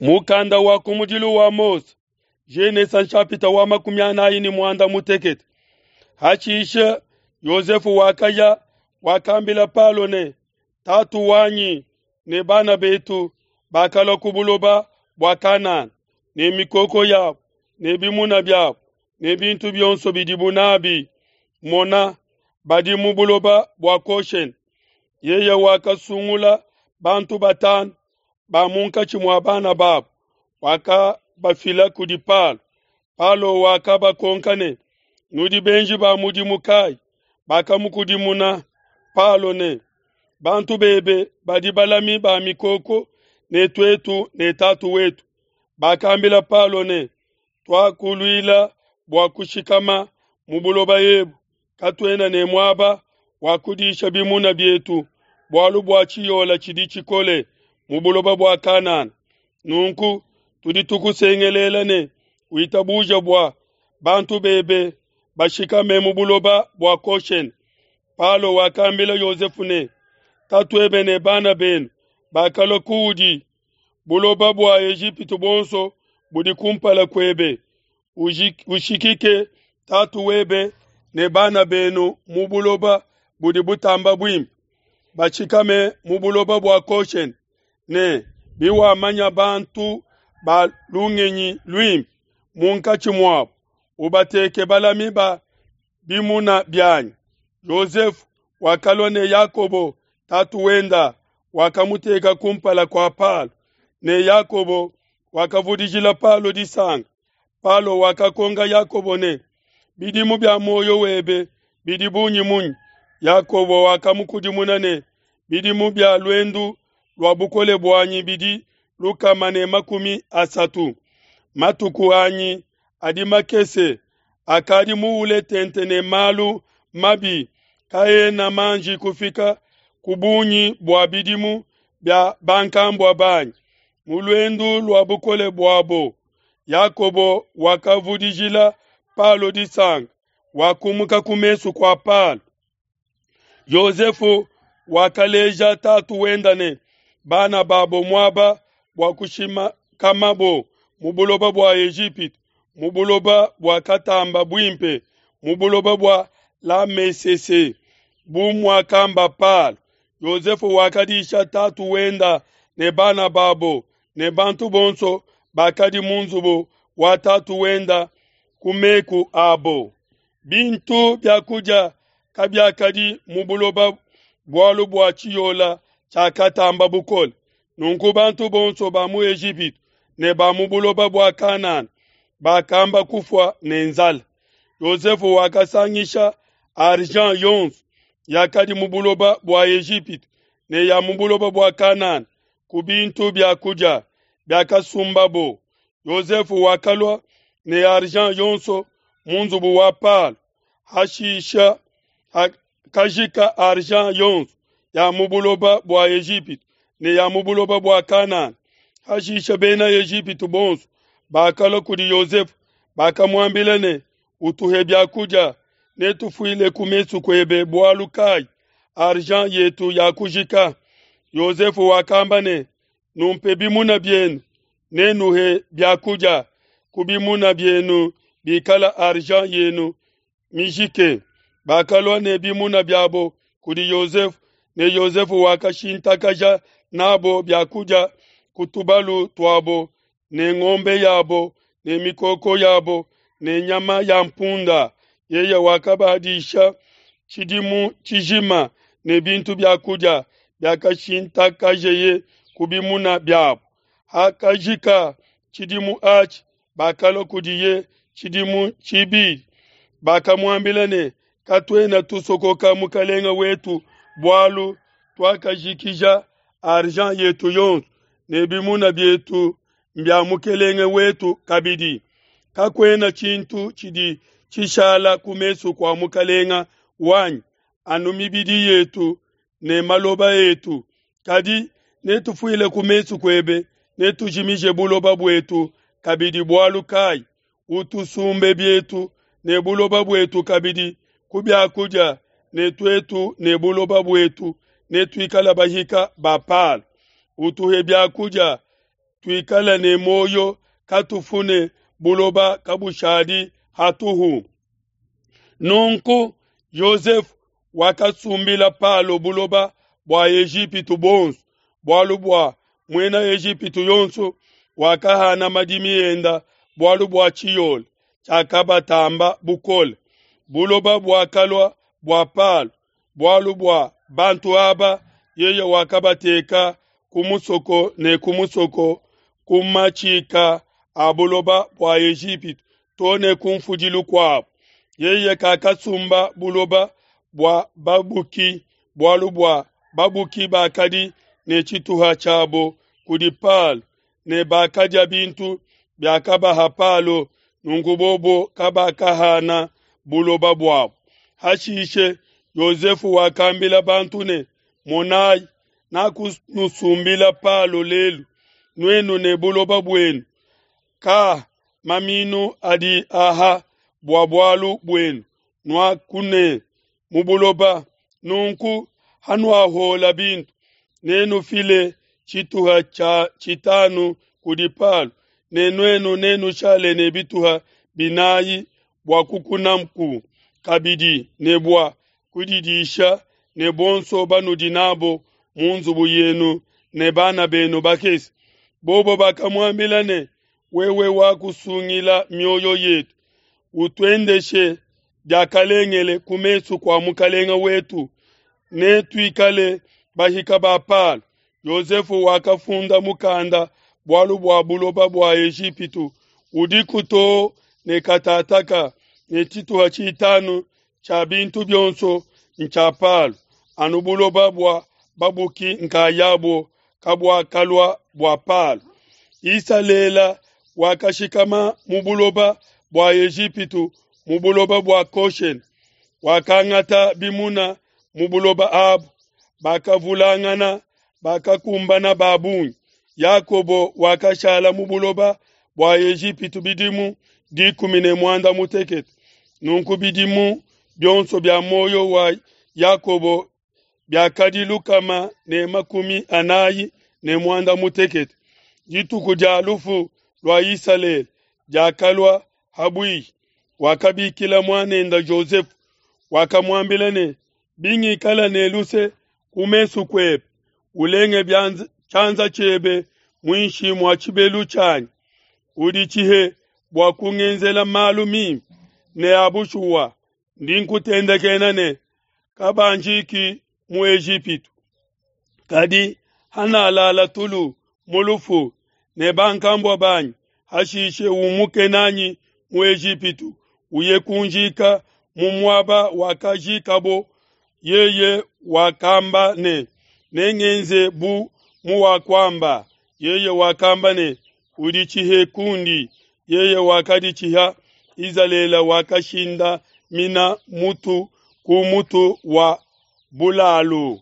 Mukanda wa kumudilu wa Mose, Genesa nshapita wa 48. Hashishe Yosefe wakaya, wakambila Palo ne, Tatu wanyi ne bana betu bakalua ku buloba bua Kanana ne mikoko yabo ne bimuna biabo ne bintu bionso bidibo nabi. Mona, badi mu buloba bua Goshene. Yeye wakasungula bantu batanu ba munkatshi mua bana babo, wakabafila kudi Palo. Palo wakabakonka ne, Nudi benji ba mudimu kayi? Bakamukudimuna Palo ne, Bantu bebe badi balami ba mikoko ne tuetu ne tatu wetu. Bakambila Palo ne, Tuakuluila bua kushikama mu buloba ebu, katuena ne muaba wa kudisha bimuna bietu, bualu bua tshiyola tshidi tshikole mu buloba bua Kanana. Nunku tudi tukusengelela ne, Witabuje bua bantu bebe bashikame mu buloba bua Goshene. Palo wakambila Yosefe ne, Tatuebe ne bana benu bakalua kuudi, buloba bua Ejipitu buonso budi kumpala kuebe, ushikike tatu webe ne bana benu mu buloba budi butamba buimpe, bashikame mu buloba bua Goshene, ne biwamanya bantu ba lungenyi luimpe munkatshi muabo, ubateke balami ba bimuna bianyi. Yosefe wakalua ne Yakobo tatu wenda, wakamuteka kumpala kua Palo, ne Yakobo wakavudijila Palo disanka. Palo wakakonka Yakobo ne, Bidimu bia muoyo webe bidi bungi munyi? Yakobo wakamukudimuna ne, Bidimu bia luendu lua bukole buanyi bidi 130. Matuku anyi adi makese, akadi muule tente ne malu mabi, kaena manji kufika ku bungi bua bidimu bia bankambua banyi. Mu luendu lua bukole buabo, Yakobo wakavudijila Palo disanka, wakumuka ku mesu kua Palo. Yosefe wakaleja tatu wenda ne bana babo muaba bua kushikamabo mu buloba bua Ejipitu, mu buloba buakatamba buimpe, mu buloba bua Lamesese, bu muakamba Palo. Yosefe wakadisha tatu wenda ne bana babo ne bantu bonso bakadi mu nzubu wa tatu wenda ku meku abo. Bintu bia kudia kabiakadi mu buloba bualu bua tshiyola tshiakatamba bukole. Nunku bantu bonso ba mu Ejipitu ne ba mu buloba bua Kanana bakamba kufua ne nzala. Yosefe wakasangisha argent yonso yakadi mu buloba bua Ejipitu ne ya mu buloba bua Kanana ku bintu bia kudia biakasumbabo. Yosefe wakalua ne argent yonso mu nzubu wa Palo. Hashisha hakajika argent yonso ya mu buloba bua Ejipitu ne ya mu buloba bua Kanana. Hashisha bena Ejipitu bonso bakalua kudi Yosefe, bakamuambila ne, Utuhe bia kudia, netufuile ku mesu kuebe bualu kai? Argent yetu yakujika. Yosefe wakamba ne, Numpe bimuna bienu, nenuhe bia kudia ku bimuna bienu bikala argent yenu mijike. Bakalua ne bimuna biabo kudi Yosefe, ne Yosefe wakashintakaja nabo bia kudia ku tubalu tuabo ne ngombe yabo ne mikoko yabo ne nyama ya mpunda. Yeye wakabadisha tshidimu tshijima ne bintu bia kudia biakashintakajeye ku bimuna biabo. Hakajika tshidimu atshi, bakalua kudiye tshidimu tshibidi, bakamuambila ne, Katuena tusokoka mukelenge wetu bualu tuakajikija argent yetu yonso ne bimuna bietu mbia mukelenge wetu kabidi. Kakuena tshintu tshidi tshishala ku mesu kua mukelenge wanyi anu mibidi yetu ne maloba etu. Kadi netufuile ku mesu kuebe, netujimije buloba buetu kabidi bualu kai? Utusumbe bietu ne buloba buetu kabidi ku bia kudia, ne tuetu ne buloba buetu netuikale bahika ba Palo. Utuhe bia kudia. tuikale ne muoyo, katufu ne buloba kabushadi hatuhu. Nunku Yosefe wakasumbila Palo buloba bua Ejipitu buonso, bualu bua muena Ejipitu yonso wakahana madimi enda bualu bua tshiole tshiakabatamba bukole. Buloba buakalua bua Palo, bualu bua bantu aba yeye wakabateka ku musoko ne ku musoko ku matshika a buloba bua Ejipitu to ne ku nfudilu kuabo. Yeye kakasumba buloba bua babuki, bualu bua babuki bakadi ne tshituha tshiabo kudi Palo ne bakadia bintu biakabaha Palo, nunku bobo kabakahana buloba buabo. Hashishe Yosefe wakambila bantu ne, Monai, nakunusumbila Palo lelu, nuenu ne buloba buenu. Ka maminu adi aha bua bualu buenu, nuakune mu buloba. Nunku hanuahuola bintu, nenufile tshituha tshia tshitanu kudi Palo, ne nuenu nenushale ne bituha binai bua kukunaku kabidi ne bua kudidisha ne bonso banudi nabo mu nzubu yenu ne bana benu bakese. Bobo bakamuambila ne, Wewe wakusungila mioyo yetu, utuendeshe diakalengele ku mesu kua mukelenge wetu, netuikale bahika ba Palo. Yosefe wakafunda mukanda bualu bua buloba bua Ejipitu udiku too ne katataka, ne tshituha tshitanu tshia bintu bionso ntshia Palo, anu buloba bua babuki nkayabo kabuakalua bua Palo. Isalele wakashikama mu buloba bua Ejipitu, mu buloba bua Goshene, wakangata bimuna mu buloba abu, bakavulangana, bakakumbana ba bungi. Yakobo wakashala mu buloba bua Ejipitu bidimu 18. Nunku bidimu bionso bia muoyo wa Yakobo biakadi 448. Dituku dia lufu lua Isalele diakalua ha buihi. Wakabikila muanende Jozefe, wakamuambila ne, Bingikala ne luse ku mesu kuebe, ulenge tshianza tshiebe muinshi mua tshibelu tshianyi, uditshihe bua kungenzela malu mimpe ne a bushuwa. Ndi nkutendekena ne, Kabanjiki mu Ejipitu. Kadi hanalala tulu mu lufu ne bankambua banyi, hashishe umuke nanyi mu Ejipitu, uye kunjika mu muaba wakajikabo. Yeye wakamba ne, Nengenze bu muwakuamba. Yeye wakamba ne, Uditshihe kundi. Yeye wakaditshiha. Izalele wakashindamina mutu ku mutu wa bulalu.